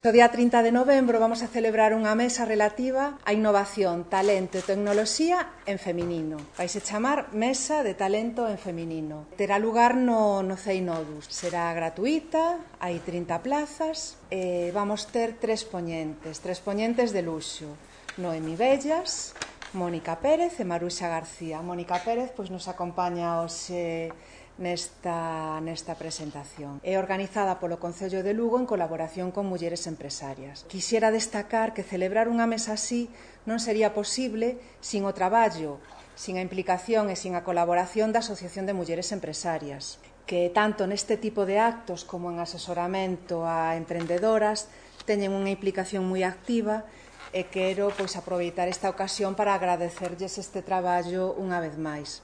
O día 30 de novembro vamos a celebrar unha mesa relativa á innovación, talento e tecnoloxía en feminino. Vaise chamar Mesa de Talento en Feminino. Terá lugar no CEI Nodus. Será gratuita, hai 30 plazas e vamos ter tres poñentes de luxo. Noemi Bellas, Mónica Pérez e Maruxa García. Mónica Pérez nos acompaña hoxe nesta presentación. É organizada polo Concello de Lugo en colaboración con mulleres empresarias. Quixera destacar que celebrar unha mesa así non sería posible sin o traballo, sin a implicación e sin a colaboración da Asociación de Mulleres Empresarias, que tanto neste tipo de actos como en asesoramento a emprendedoras teñen unha implicación moi activa e quero aproveitar esta ocasión para agradecerlles este traballo unha vez máis.